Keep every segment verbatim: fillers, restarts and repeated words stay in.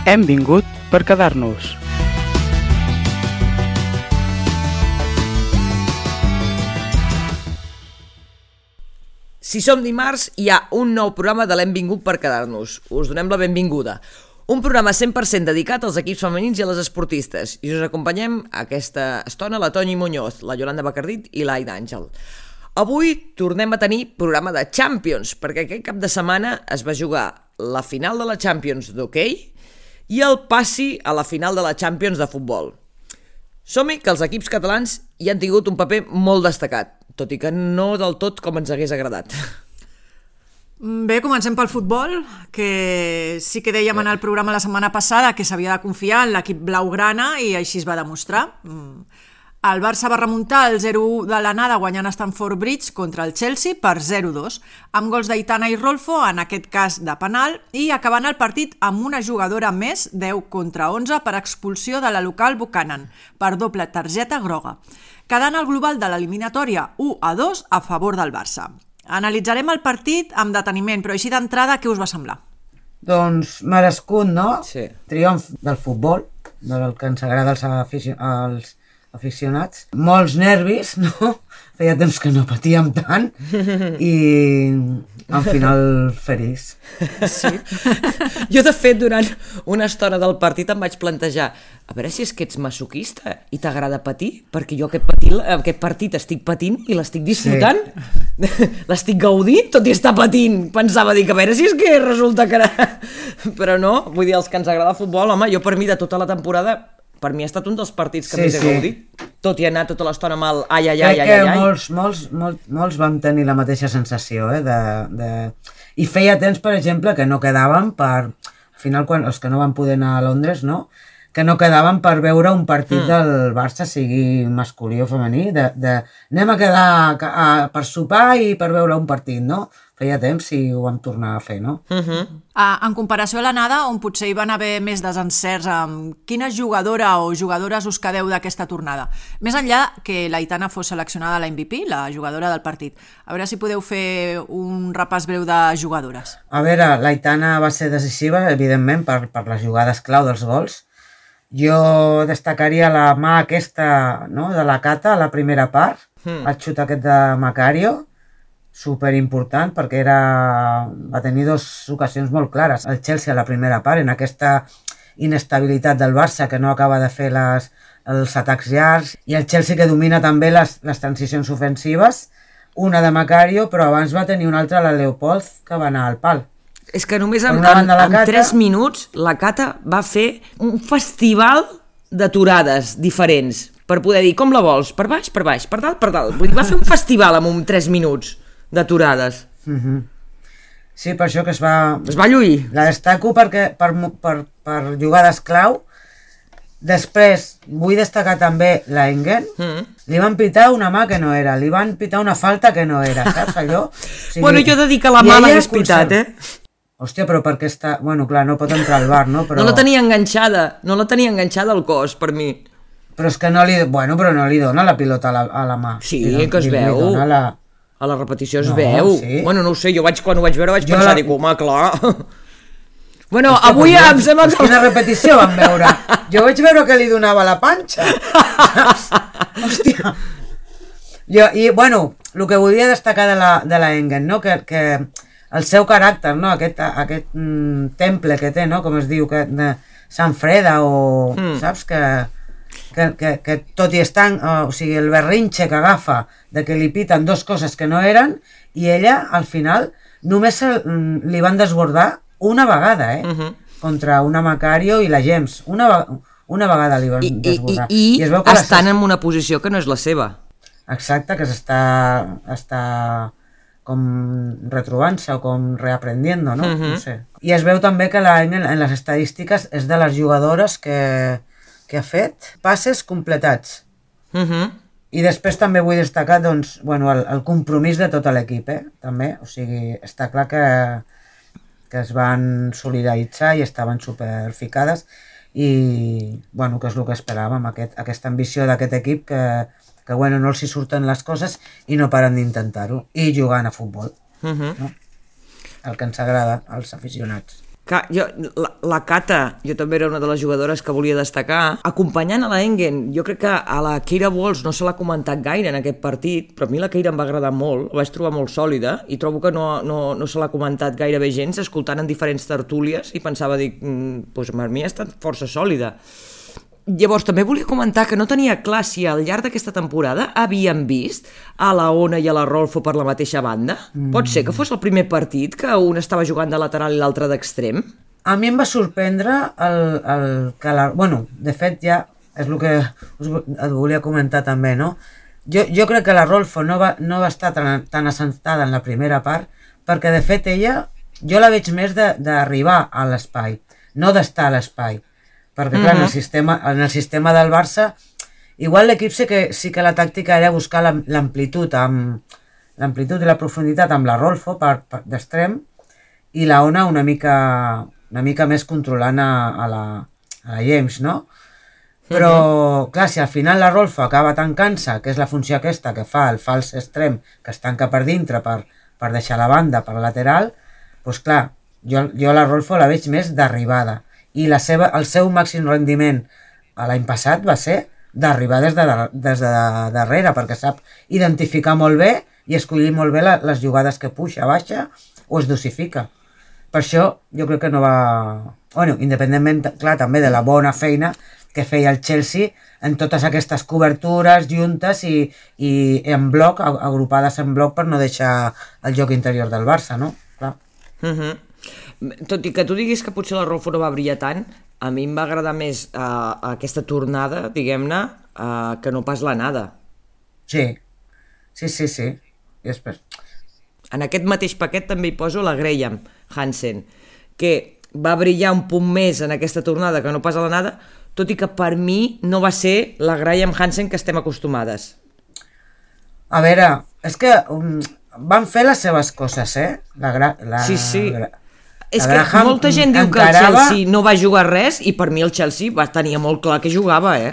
Hem vingut per quedar-nos. Si som dimarts, hi ha un nou programa de l'Hem vingut per quedar-nos. Us donem la benvinguda. Un programa cent per cent dedicat als equips femenins i a les esportistes. I us acompanyem aquesta estona la Toni Muñoz, la Yolanda Bacardit i l'Aida Àngel. Avui tornem a tenir programa de Champions, perquè aquest cap de setmana es va jugar la final de la Champions d'hoquei i el passi a la final de la Champions de futbol. Som-hi que els equips catalans hi han tingut un paper molt destacat, tot i que no del tot com ens hagués agradat. Bé, comencem pel futbol, que sí que dèiem en el programa la setmana passada que s'havia de confiar en l'equip blaugrana i així es va demostrar. El Barça va remuntar el zero u de l'anada guanyant a Stamford Bridge contra el Chelsea per zero dos, amb gols d'Aitana i Rolfo, en aquest cas de penal, i acabant el partit amb una jugadora més, deu contra onze, per expulsió de la local Buchanan, per doble targeta groga, quedant el global de l'eliminatòria u a dos a favor del Barça. Analitzarem el partit amb deteniment, però així d'entrada, què us va semblar? Doncs merescut, no? Sí. Triomf del futbol, del que ens agrada als, afici als aficionats. Molts nervis, no? Feia temps que no patíem tant i al final feliç. Sí. Jo, de fet, durant una estona del partit em vaig plantejar a veure si és que ets masoquista i t'agrada patir, perquè jo aquest, patir, aquest partit estic patint i l'estic disfrutant. Sí. L'estic gaudint, tot i estar patint. Pensava dir que a veure si és que resulta que... Però no, vull dir, els que ens agrada el futbol, home, jo per mi de tota la temporada, per mi ha estat un dels partits que sí, més he sí. gaudit, tot i anar tota l'estona amb el ai, ai, ai, ai, ai. Crec que molts, molts, molts, molts vam tenir la mateixa sensació, eh, de, de... I feia temps, per exemple, que no quedàvem per... Al final, quan els que no van poder anar a Londres, no? Que no quedaven per veure un partit mm. del Barça, sigui masculí o femení, de, de anem a quedar a, per sopar i per veure un partit, no? Feia temps i ho vam tornar a fer, no? Uh-huh. Uh, en comparació a l'anada, on potser hi van haver més desencerts, amb quina jugadora o jugadores us quedeu d'aquesta tornada? Més enllà que l'Aitana fos seleccionada a la M V P, la jugadora del partit. A veure si podeu fer un repàs breu de jugadores. A veure, l'Aitana va ser decisiva, evidentment, per, per les jugades clau dels gols. Jo destacaria la mà aquesta, no?, de la Cata a la primera part, mm. el xut aquest de Macario, superimportant perquè era... va tenir dues ocasions molt clares. El Chelsea a la primera part, en aquesta inestabilitat del Barça que no acaba de fer les, els atacs llargs, i el Chelsea que domina també les, les transicions ofensives, una de Macario, però abans va tenir una altra, la Leopold, que va anar al pal. És que només en, en, en tres minuts la Cata va fer un festival d'aturades diferents per poder dir com la vols, per baix, per baix, per dalt, per dalt. Vull dir, va fer un festival amb un tres minuts d'aturades. Mm-hmm. Sí, per això que es va... Es va lluir. La destaco perquè per, per, per jugades clau. Després vull destacar també l'Engen. Mm. Li van pitar una mà que no era, li van pitar una falta que no era, saps allò? O sigui, bueno, jo he de dir que la mà l'hagués pitat, eh? Hòstia, però perquè està... Bueno, clar, no pot entrar al bar, no? Però... No la tenia enganxada, no la tenia enganxada al cos, per mi. Però és que no li... Bueno, però no li dona la pilota a la, a la mà. Sí, li, que es li, veu. Li la... A la repetició es no, veu. Sí. Bueno, no ho sé, jo vaig, quan ho vaig veure vaig jo pensar, la... dic, home, clar... Bueno, hòstia, avui ja em sembla que... Quina repetició vam veure? Jo vaig veure que li donava la panxa. Hòstia. Jo, i, bueno, el que volia destacar de la, de la Engen, no? Que, que el seu caràcter, no? Aquest, aquest mm, temple que té, no? Com es diu, que de Sant Freda o... Mm. Saps? Que, que, que, que tot i estant... O sigui, el berrinxe que agafa de que li piten dos coses que no eren i ella, al final, només se, li van desbordar una vegada, eh? Uh-huh. Contra una Macario i la Gems. Una, una vegada li van I, desbordar. I, i, i es veu que estan les... en una posició que no és la seva. Exacte, que s'està està com retrobant-se o com reaprendiendo, no? Uh-huh. No sé. I es veu també que la, en, en les estadístiques és de les jugadores que, que ha fet passes completats. Uh-huh. I després també vull destacar, doncs, bueno, el, el compromís de tot l'equip, eh? També, o sigui, està clar que que es van solidaritzar i estaven superficades i, bueno, que és el que esperàvem, aquest, aquesta ambició d'aquest equip que, que, bueno, no els hi surten les coses i no paren d'intentar-ho, i jugant a futbol, uh-huh. no? El que ens agrada als aficionats. Que jo, la, la Cata, jo també era una de les jugadores que volia destacar, acompanyant a la Engen. Jo crec que a la Keira Walsh no se l'ha comentat gaire en aquest partit, però a mi la Keira em va agradar molt, la vaig trobar molt sòlida, i trobo que no, no, no se l'ha comentat gairebé gens, escoltant en diferents tertúlies, i pensava, dic, mm, doncs per mi ha estat força sòlida. Llavors, també volia comentar que no tenia clar si al llarg d'aquesta temporada havien vist a la Ona i a la Rolfo per la mateixa banda. Mm. Pot ser que fos el primer partit que un estava jugant de lateral i l'altre d'extrem? A mi em va sorprendre el, el que la... Bueno, de fet ja és el que us et volia comentar també, no? Jo, jo crec que la Rolfo no va, no va estar tan, tan assentada en la primera part perquè, de fet, ella, jo la veig més d'arribar a l'espai, no d'estar a l'espai. Perquè, clar, uh-huh. en, el sistema, en el sistema del Barça, igual l'equip sí que, sí que la tàctica era buscar l'amplitud amb l'amplitud i la profunditat amb la Rolfo per, per, d'extrem, i la Ona una mica, una mica més controlant a, a, la, a la James, no? Però, uh-huh. clar, si al final la Rolfo acaba tancant-se, que és la funció aquesta que fa el fals extrem, que es tanca per dintre per, per deixar la banda per la lateral, doncs clar, jo, jo la Rolfo la veig més d'arribada. I la seva, el seu màxim rendiment l'any passat va ser d'arribar des de, des de darrere, perquè sap identificar molt bé i escollir molt bé la, les jugades que puja, baixa o es dosifica. Per això jo crec que no va... Bueno, independentment, clar, també de la bona feina que feia el Chelsea en totes aquestes cobertures juntes i, i en bloc, agrupades en bloc per no deixar el joc interior del Barça, no? Clar. Mhm. Tot i que tu diguis que potser la Rolfo no va brillar tant, a mi em va agradar més uh, aquesta tornada, diguem-ne, uh, que no pas l'anada. Sí, sí, sí, sí. I després... En aquest mateix paquet també hi poso la Graham Hansen, que va brillar un punt més en aquesta tornada que no pas a l'anada, tot i que per mi no va ser la Graham Hansen que estem acostumades. A veure, és que um, van fer les seves coses, eh? La, gra... la... Sí, sí. La... És que molta gent diu que el Chelsea no va jugar res i per mi el Chelsea va tenir molt clar que jugava, eh?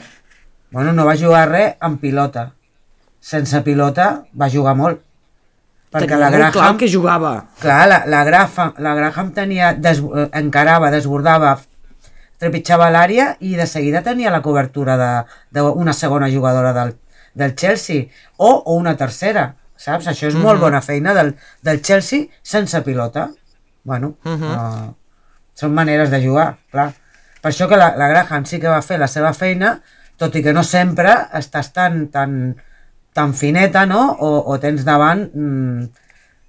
Bueno, no va jugar res amb pilota. Sense pilota va jugar molt. Perquè tenia la molt Graham, clar que jugava. Clar, la, la, Graham, la Graham tenia, des, encarava, desbordava, trepitjava l'àrea i de seguida tenia la cobertura d'una segona jugadora del, del Chelsea o, o una tercera, saps? Això és mm-hmm. molt bona feina del, del Chelsea sense pilota. Bueno, uh-huh. uh, són maneres de jugar, clar. Per això que la, la Graham sí que va fer la seva feina, tot i que no sempre estàs tan, tan, tan fineta, no? O, o tens davant, mmm,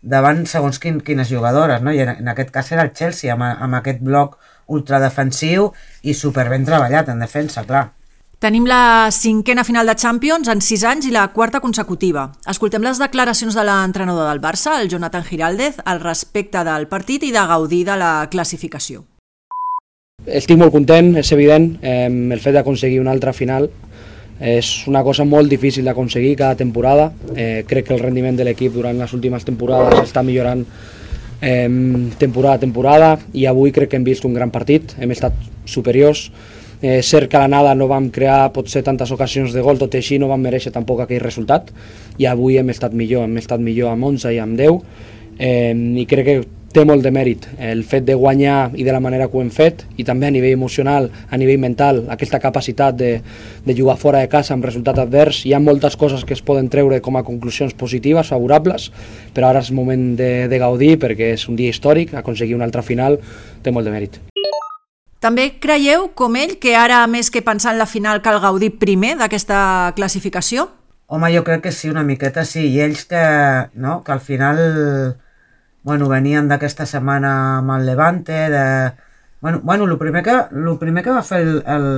davant segons quin, quines jugadores, no? I en, en aquest cas era el Chelsea, amb, amb aquest bloc ultradefensiu i superben treballat en defensa, clar. Tenim la cinquena final de Champions en sis anys i la quarta consecutiva. Escoltem les declaracions de l'entrenador del Barça, el Jonathan Giraldez, al respecte del partit i de gaudir de la classificació. Estic molt content, és evident. Eh, el fet d'aconseguir una altra final és una cosa molt difícil d'aconseguir cada temporada. Eh, crec que el rendiment de l'equip durant les últimes temporades està millorant eh, temporada a temporada i avui crec que hem vist un gran partit, hem estat superiors. Eh, cert que a l'anada no vam crear potser tantes ocasions de gol, tot i així no vam mereixer tampoc aquell resultat i avui hem estat millor, hem estat millor amb onze i amb deu eh, i crec que té molt de mèrit el fet de guanyar i de la manera que ho hem fet i també a nivell emocional, a nivell mental, aquesta capacitat de, de jugar fora de casa amb resultat advers. Hi ha moltes coses que es poden treure com a conclusions positives, favorables, però ara és moment de, de gaudir perquè és un dia històric, aconseguir una altra final té molt de mèrit. També creieu, com ell, que ara més que pensar en la final cal gaudir primer d'aquesta classificació? Home, jo crec que sí, una miqueta sí, i ells que, no, que al final bueno, venien d'aquesta setmana amb el Levante, de... Bueno, bueno el, primer que, el primer que va fer el, el,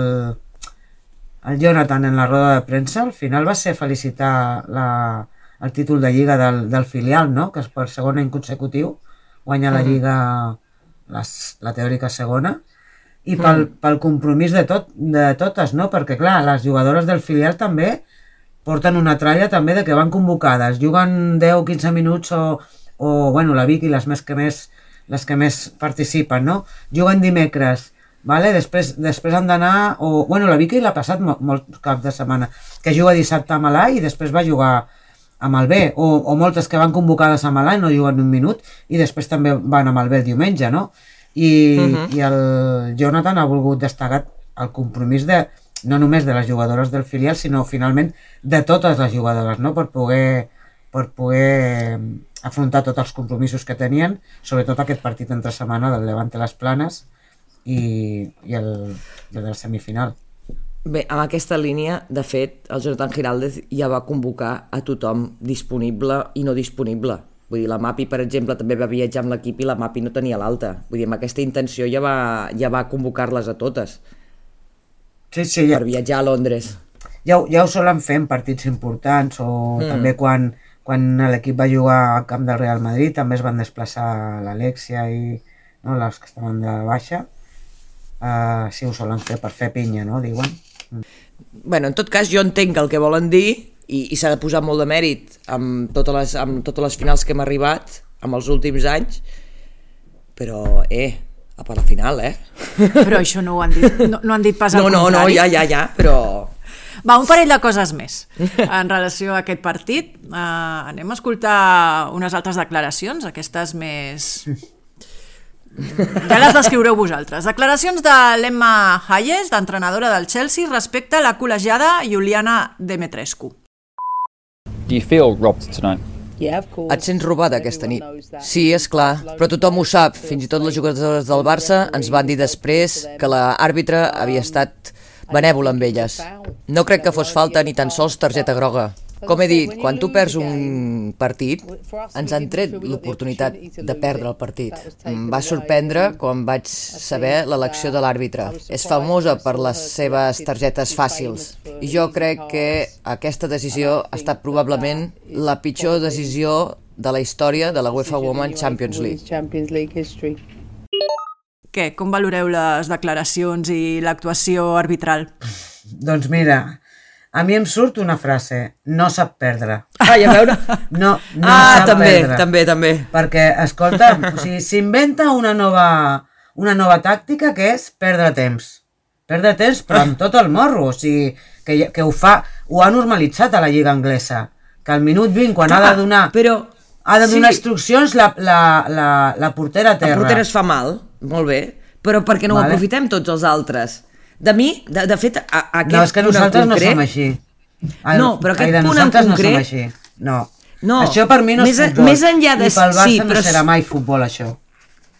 el Jonathan en la roda de premsa, al final va ser felicitar la, el títol de Lliga del, del filial, no? Que és per segon any consecutiu, guanya la Lliga, les, la teòrica segona, i pel, pel compromís de, tot, de totes, no? Perquè, clar, les jugadores del filial també porten una tralla també de que van convocades, juguen deu o quinze minuts o, o bueno, la Vicky, les més que més, les que més participen, no? Juguen dimecres, vale? després, després han d'anar, o bueno, la Vicky l'ha passat molt, molt cap de setmana, que juga dissabte a Malà i després va jugar amb el B, o, o moltes que van convocades a Malà i no juguen un minut i després també van amb el B el diumenge, no? i, Mhm. i el Jonathan ha volgut destacar el compromís de, no només de les jugadores del filial, sinó finalment de totes les jugadores, no? per poder per poder afrontar tots els compromisos que tenien, sobretot aquest partit entre setmana del Levante Les Planes i, i, el, i el de la semifinal. Bé, amb aquesta línia, de fet, el Jonathan Giraldez ja va convocar a tothom disponible i no disponible. Vull dir, la Mapi, per exemple, també va viatjar amb l'equip i la Mapi no tenia l'alta. Vull dir, amb aquesta intenció ja va, ja va convocar-les a totes Sí, sí, ja, per viatjar a Londres. ja, ho- ja ho solen fer en partits importants o Mm. també quan, quan l'equip va jugar al camp del Real Madrid també es van desplaçar l'Alexia i no, les que estaven de baixa. Uh, sí, ho solen fer per fer pinya, no? Diuen. Bueno, en tot cas, jo entenc el que volen dir i, i s'ha de posar molt de mèrit amb totes, les, amb totes les finals que hem arribat amb els últims anys, però, eh, a per la final, eh? Però això no ho han dit, no, no han dit pas al No, no, no, contrari. ja, ja, ja, però... Va, un parell de coses més en relació a aquest partit. Uh, anem a escoltar unes altres declaracions, aquestes més... Ja les descriureu vosaltres. Declaracions de l'Emma Hayes, d'entrenadora del Chelsea, respecte a la col·legiada Juliana Demetrescu. Do you feel robbed tonight? Et sents robada aquesta nit? Sí, és clar, però tothom ho sap. Fins i tot les jugadores del Barça ens van dir després que l'àrbitre havia estat benèvola amb elles. No crec que fos falta ni tan sols targeta groga. Com he dit, quan tu perds un partit, ens han tret l'oportunitat de perdre el partit. Em va sorprendre quan vaig saber l'elecció de l'àrbitre. És famosa per les seves targetes fàcils. I jo crec que aquesta decisió ha estat probablement la pitjor decisió de la història de la UEFA Women's Champions League. Què, com valoreu les declaracions i l'actuació arbitral? Doncs mira, a mi em surt una frase, no sap perdre. Ai, a veure... No, no ah, sap també, perdre. també, també. Perquè, escolta, o sigui, s'inventa una nova, una nova tàctica que és perdre temps. Perdre temps, però amb tot el morro. O sigui, que, que ho fa, ho ha normalitzat a la Lliga Anglesa. Que al minut vint, quan ha de donar, Però... ha de donar sí. instruccions, la, la, la, la portera a terra. La portera es fa mal, molt bé, però perquè no Vale. ho aprofitem tots els altres? De mi, de, de fet, a, a aquest No, és que punt en nosaltres no concret... som així. Ai, No, però aquest ai, de punt en nosaltres concret- no som així. No. No, Això per mi no més és a- futbol. més enllà de- I pel Barça sí, no però serà s- mai futbol, això.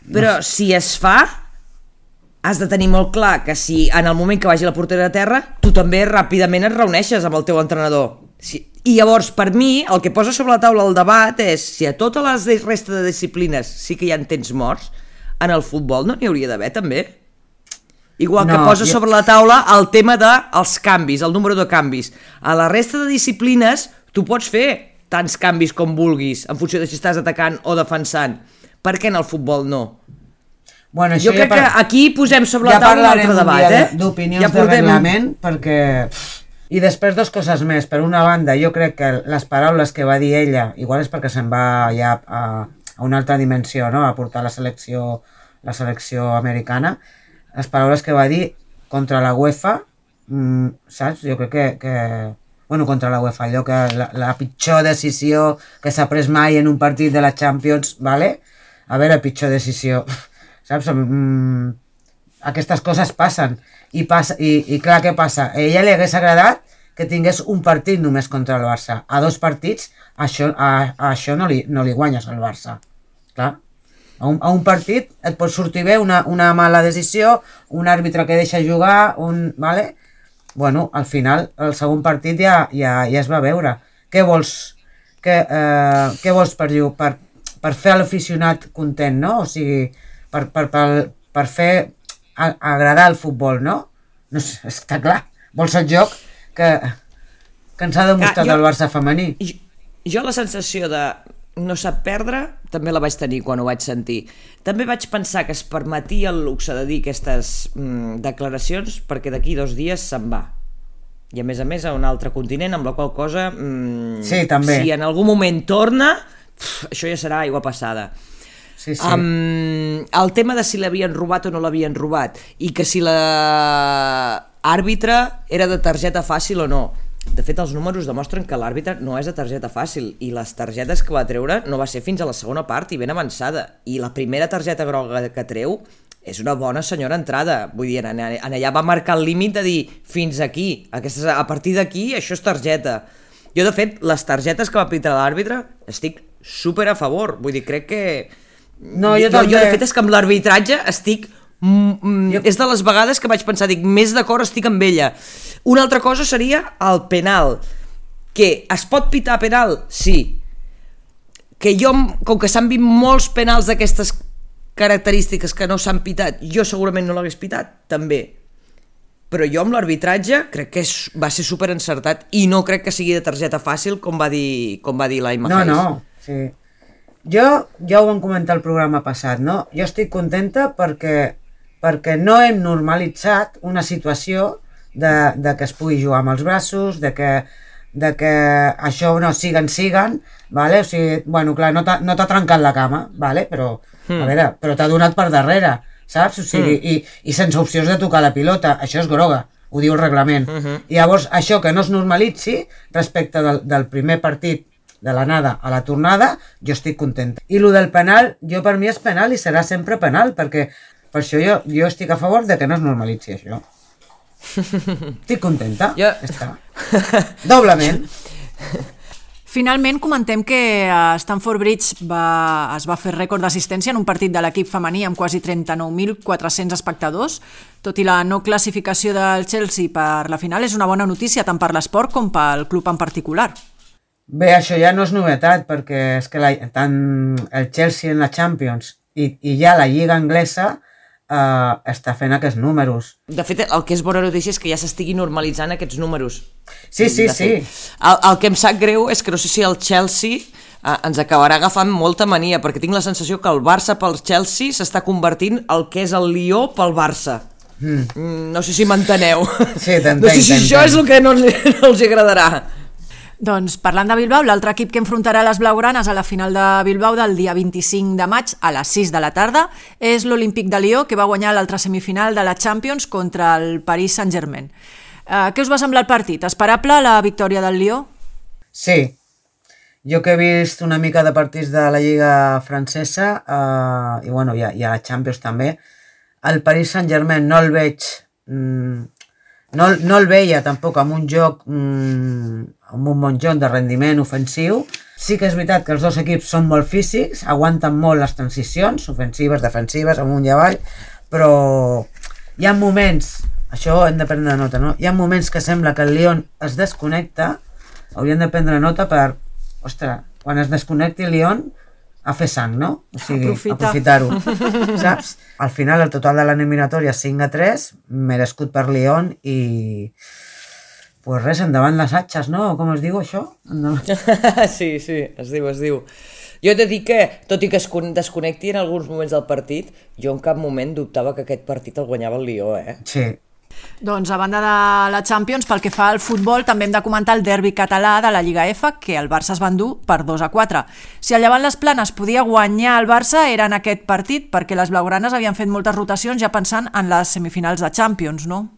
Però si es fa, has de tenir molt clar que si en el moment que vagi la portera a terra, tu també ràpidament et reuneixes amb el teu entrenador. Si... I llavors, per mi, el que posa sobre la taula el debat és si a totes les de- resta de disciplines sí que hi ha temps morts, en el futbol no n'hi hauria d'haver també. Igual que No, posa jo- sobre la taula el tema dels canvis, el número de canvis. A la resta de disciplines tu pots fer tants canvis com vulguis, en funció de si estàs atacant o defensant. Per què en el futbol no? Bueno, Jo això crec ja que par- aquí posem sobre ja la taula un parlarem altre un debat, dia eh? d'opinions Ja de portem- reglament, perquè... pff, I després dues coses més. Per una banda, jo crec que les paraules que va dir ella, igual és perquè se'n va ja a, a una altra dimensió, no? A portar la selecció, la selecció americana, les paraules que va dir contra la UEFA, mm, saps? Jo crec que, que... Bueno, contra la UEFA, allò que la, la pitjor decisió que s'ha pres mai en un partit de la Champions, vale? A veure, pitjor decisió, saps? Mm, aquestes coses passen. I, passa, i, i clar, què passa? A ella li hagués agradat que tingués un partit només contra el Barça. A dos partits, això, a, a això no li, no li guanyes al Barça. Clar. A un, a un partit et pot sortir bé una, una mala decisió, un àrbitre que deixa jugar, un... Vale? Bueno, al final, el segon partit ja, ja, ja es va veure. Què vols, que, eh, què vols per, per, per fer a l'aficionat content, no? O sigui, per, per, per, per fer a, agradar el futbol, no? No sé, està clar. Vols el joc que, que ens ha demostrat Ah, jo- el Barça femení. Jo, jo la sensació de no sap perdre també la vaig tenir quan ho vaig sentir. També vaig pensar que es permetia el luxe de dir aquestes mm, declaracions perquè d'aquí dos dies se'n va. I a més a més a un altre continent, amb la qual cosa mm, Sí, també. si en algun moment torna, pf, això ja serà aigua passada. Sí, sí. Um, el tema de si l'havien robat o no l'havien robat i que si la àrbitre era de targeta fàcil o no. De fet, els números demostren que l'àrbitre no és de targeta fàcil i les targetes que va treure no va ser fins a la segona part i ben avançada. I la primera targeta groga que treu és una bona senyora entrada. Vull dir, en allà va marcar el límit de dir fins aquí, aquestes, a partir d'aquí això és targeta. Jo, de fet, les targetes que va pitar l'àrbitre estic super a favor. Vull dir, crec que... No, jo, jo, també... jo de fet, és que amb l'arbitratge estic... Mm, jo... És de les vegades que vaig pensar, dic, més d'acord estic amb ella. Una altra cosa seria el penal, que es pot pitar penal? Sí. Que jo, com que s'han vist molts penals d'aquestes característiques que no s'han pitat, jo segurament no l'hagués pitat, també. Però jo amb l'arbitratge crec que és, va ser super encertat i no crec que sigui de targeta fàcil, com va dir, com va dir l'Aima No, Hayes. no, sí. Jo, ja ho vam comentar el programa passat, no? Jo estic contenta perquè, perquè no hem normalitzat una situació de, de que es pugui jugar amb els braços, de que, de que això no siguen, siguen, vale? O sigui, bueno, clar, no t'ha no t'ha trencat la cama, vale? Però, mm. a veure, però t'ha donat per darrere, saps? O sigui, mm. i, i sense opcions de tocar la pilota, això és groga, ho diu el reglament. Mm -hmm. I llavors, això que no es normalitzi respecte del, del primer partit de l'anada a la tornada, jo estic contenta. I lo del penal, jo per mi és penal i serà sempre penal, perquè per això jo, jo estic a favor de que no es normalitzi això. Estic contenta, jo... ja està. Doblement. Finalment comentem que a Stamford Bridge va, es va fer rècord d'assistència en un partit de l'equip femení amb quasi trenta-nou mil quatre-cents espectadors. Tot i la no classificació del Chelsea per la final, és una bona notícia tant per l'esport com pel club en particular. Bé, això ja no és novetat, perquè és que la, tant el Chelsea en la Champions i, i ja la Lliga Anglesa Uh, està fent aquests números. De fet, el que és bona notícia és que ja s'estigui normalitzant aquests números. Sí, sí, sí. El, el que em sap greu és que no sé si el Chelsea uh, ens acabarà agafant molta mania, perquè tinc la sensació que el Barça pel Chelsea s'està convertint el que és el Lió pel Barça. Mm. No sé si m'enteneu. Sí, t'entenc, no sé si això és el que no, no els agradarà. Doncs parlant de Bilbao, l'altre equip que enfrontarà les blaugranes a la final de Bilbao del dia vint-i-cinc de maig a les sis de la tarda és l'Olímpic de Lió, que va guanyar l'altra semifinal de la Champions contra el Paris Saint-Germain. Uh, què us va semblar el partit? Esperable la victòria del Lió? Sí. Jo que he vist una mica de partits de la Lliga francesa uh, i, bueno, i a, i a la Champions també, el Paris Saint-Germain no el veig... Mm, no, no el veia tampoc amb un joc... Mm, amb un bon joc de rendiment ofensiu. Sí que és veritat que els dos equips són molt físics, aguanten molt les transicions, ofensives, defensives, amunt i avall, però hi ha moments, això hem de prendre nota, no? Hi ha moments que sembla que el Lyon es desconnecta, hauríem de prendre nota per, ostres, quan es desconnecti el Lyon, a fer sang, no? O sigui, aprofitar-ho, saps? Al final el total de l'eliminatòria és cinc a tres, merescut per Lyon i... Pues res, endavant les atxes, no? Com es diu això? Sí, sí, es diu, es diu. Jo he de dir que, tot i que es desconnecti en alguns moments del partit, jo en cap moment dubtava que aquest partit el guanyava el Lió, eh? Sí. Doncs a banda de la Champions, pel que fa al futbol, també hem de comentar el derbi català de la Lliga F, que el Barça es va endur per dos a quatre. Si el Llevant les Planes podia guanyar el Barça, era en aquest partit, perquè les blaugranes havien fet moltes rotacions ja pensant en les semifinals de Champions, no?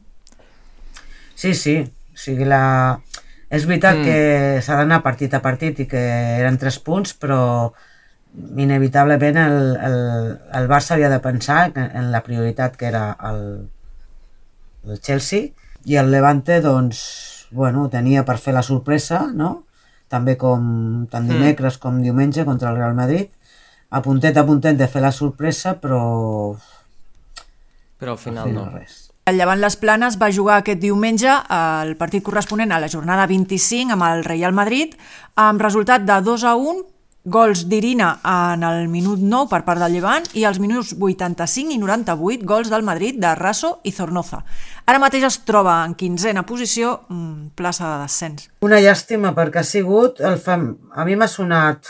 Sí, sí. O sigui, la... és veritat mm. que s'ha d'anar partit a partit i que eren tres punts, però inevitablement el, el, el Barça havia de pensar en la prioritat que era el, el Chelsea, i el Levante, doncs, bueno, tenia per fer la sorpresa, no? També com tant dimecres mm. com diumenge contra el Real Madrid, a puntet a puntet de fer la sorpresa, però... Però al final, al final no. Res. El Llevant les Planes va jugar aquest diumenge el partit corresponent a la jornada vint-i-cinc amb el Real Madrid, amb resultat de dos a un, gols d'Irina en el minut nou per part del Llevant i als minuts vuitanta-cinc i noranta-vuit gols del Madrid de Raso i Zornoza. Ara mateix es troba en quinzena posició, plaça de descens. Una llàstima perquè ha sigut... El fem... A mi m'ha sonat...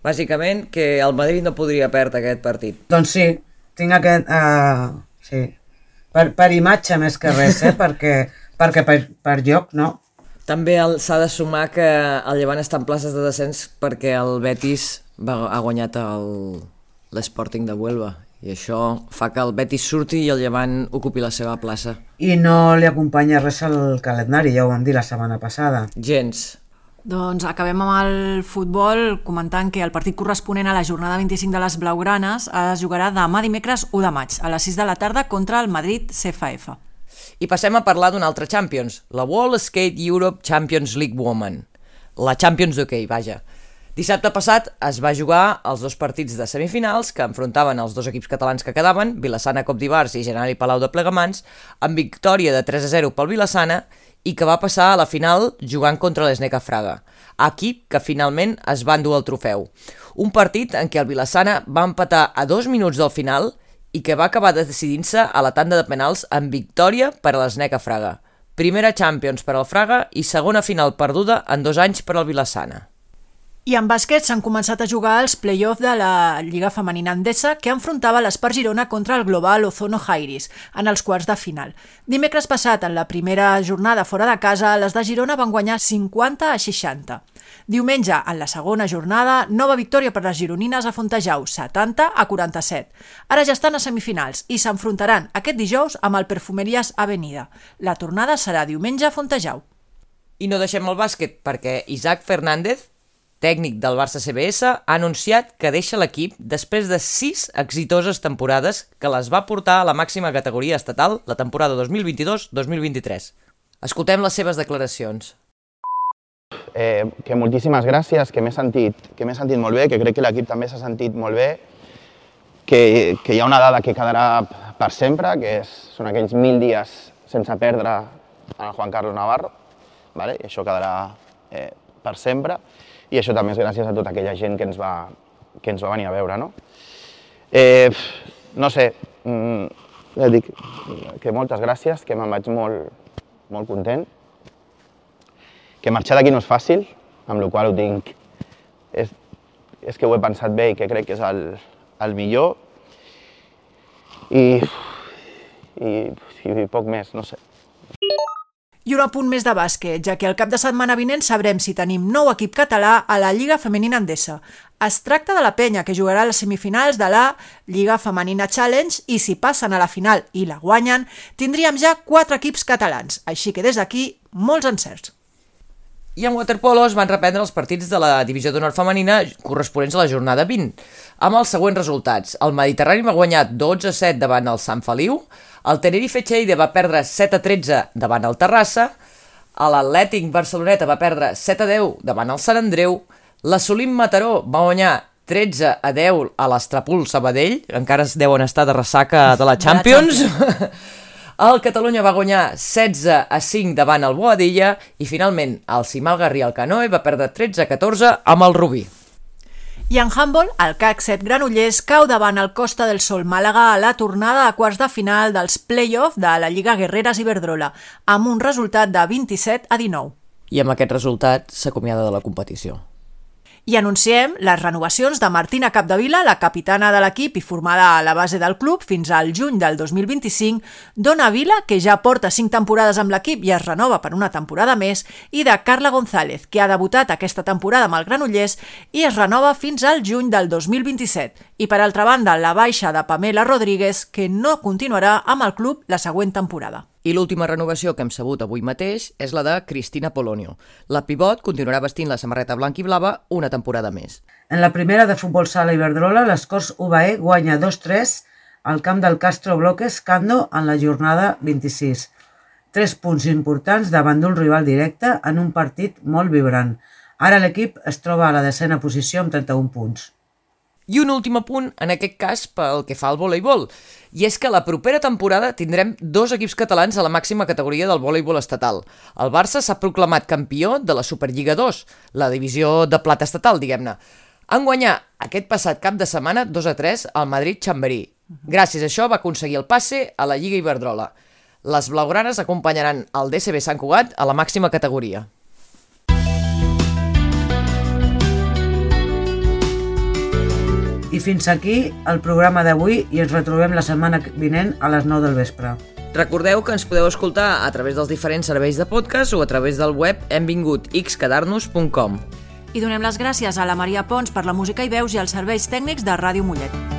Bàsicament que el Madrid no podria perdre aquest partit. Doncs sí, tinc aquest... Uh, sí... Per, per imatge més que res, eh? perquè, perquè per, per lloc, no? També s'ha de sumar que el Llevant està en places de descens perquè el Betis va, ha guanyat l'Sporting de Huelva I això fa que el Betis surti i el Llevant ocupi la seva plaça. I no li acompanya res al calendari, ja ho vam dir la setmana passada. Gens. Doncs acabem amb el futbol comentant que el partit corresponent a la jornada vint-i-cinc de les Blaugranes es jugarà demà dimecres u de maig a les sis de la tarda contra el Madrid C F F. I passem a parlar d'un altre Champions, la World Skate Europe Champions League Women, la Champions d'hoquei, vaja. Dissabte passat es va jugar els dos partits de semifinals que enfrontaven els dos equips catalans que quedaven, Vilassana Cop d'Ivars i Generali Palau de Plegamans, amb victòria de tres a zero pel Vilassana i que va passar a la final jugant contra l'Sneca Fraga, equip que finalment es va endur el trofeu. Un partit en què el Vilassana va empatar a dos minuts del final i que va acabar decidint-se a la tanda de penals amb victòria per a l'Sneca Fraga. Primera Champions per al Fraga i segona final perduda en dos anys per al Vilassana. I en bàsquet s'han començat a jugar els play-off de la Lliga Femenina Endesa que enfrontava l'Espar Girona contra el Global Ozono Jairis en els quarts de final. Dimecres passat, en la primera jornada fora de casa, les de Girona van guanyar cinquanta a seixanta. Diumenge, en la segona jornada, nova victòria per les gironines a Fontejau, setanta a quaranta-set. Ara ja estan a semifinals i s'enfrontaran aquest dijous amb el Perfumeries Avenida. La tornada serà diumenge a Fontejau. I no deixem el bàsquet perquè Isaac Fernández, tècnic del Barça C B S, ha anunciat que deixa l'equip després de sis exitoses temporades que les va portar a la màxima categoria estatal la temporada dos mil vint-i-dos dos mil vint-i-tres. Escoltem les seves declaracions. Eh, que moltíssimes gràcies, que m'he sentit, que m'he sentit molt bé, que crec que l'equip també s'ha sentit molt bé, que, que hi ha una dada que quedarà per sempre, que és, són aquells mil dies sense perdre a Juan Carlos Navarro, vale? I això quedarà eh, per sempre. I això també és gràcies a tota aquella gent que ens va, que ens va venir a veure, no? Eh, no sé, ja dic que moltes gràcies, que me'n vaig molt, molt content, que marxar d'aquí no és fàcil, amb la qual ho tinc, és, és que ho he pensat bé i que crec que és el, el millor, i, i, i poc més, no sé. I un apunt més de bàsquet, ja que el cap de setmana vinent sabrem si tenim nou equip català a la Lliga Femenina Endesa. Es tracta de la penya, que jugarà a les semifinals de la Lliga Femenina Challenge i si passen a la final i la guanyen, tindríem ja quatre equips catalans. Així que des d'aquí, molts encerts. I en waterpolo es van reprendre els partits de la Divisió d'Honor Femenina corresponents a la jornada vint, amb els següents resultats. El Mediterrani va guanyar dotze a set davant el Sant Feliu, el Tenerife Lleida va perdre set a tretze davant el Terrassa, l'Atlètic Barceloneta va perdre set a deu davant el Sant Andreu, l'Assolim Mataró va guanyar tretze a deu a l'Estrapul Sabadell, encara es deuen estar de ressaca de la Champions, el Catalunya va guanyar setze a cinc davant el Boadilla i finalment el Cimal Garrí al Canoe va perdre tretze a catorze amb el Rubí. I en handball, el C A C set Granollers cau davant el Costa del Sol Màlaga a la tornada a quarts de final dels play-off de la Lliga Guerreres Iberdrola, amb un resultat de vint-i-set a dinou. I amb aquest resultat s'acomiada de la competició. I anunciem les renovacions de Martina Capdevila, la capitana de l'equip i formada a la base del club fins al juny del dos mil vint-i-cinc, Dona Vila, que ja porta cinc temporades amb l'equip i es renova per una temporada més, i de Carla González, que ha debutat aquesta temporada amb el Granollers i es renova fins al juny del dos mil vint-i-set. I per altra banda, la baixa de Pamela Rodríguez, que no continuarà amb el club la següent temporada. I l'última renovació que hem sabut avui mateix és la de Cristina Polonio. La pivot continuarà vestint la samarreta blanca i blava una temporada més. En la primera de futbol sala Iberdrola, l'Escorç U B E guanya dos tres al camp del Castro Bloques Cando en la jornada vint-i-sis. Tres punts importants davant d'un rival directe en un partit molt vibrant. Ara l'equip es troba a la desena posició amb trenta-un punts. I un últim apunt, en aquest cas, pel que fa al voleibol. I és que la propera temporada tindrem dos equips catalans a la màxima categoria del voleibol estatal. El Barça s'ha proclamat campió de la Superliga dos, la divisió de plata estatal, diguem-ne. En guanyar aquest passat cap de setmana dos a tres al Madrid Chamberí. Gràcies a això va aconseguir el passe a la Lliga Iberdrola. Les blaugranes acompanyaran el D C B Sant Cugat a la màxima categoria. I fins aquí el programa d'avui i ens retrobem la setmana vinent a les nou del vespre. Recordeu que ens podeu escoltar a través dels diferents serveis de podcast o a través del web hem vingut x quedar-nos punt com. I donem les gràcies a la Maria Pons per la música i veus i als serveis tècnics de Ràdio Mollet.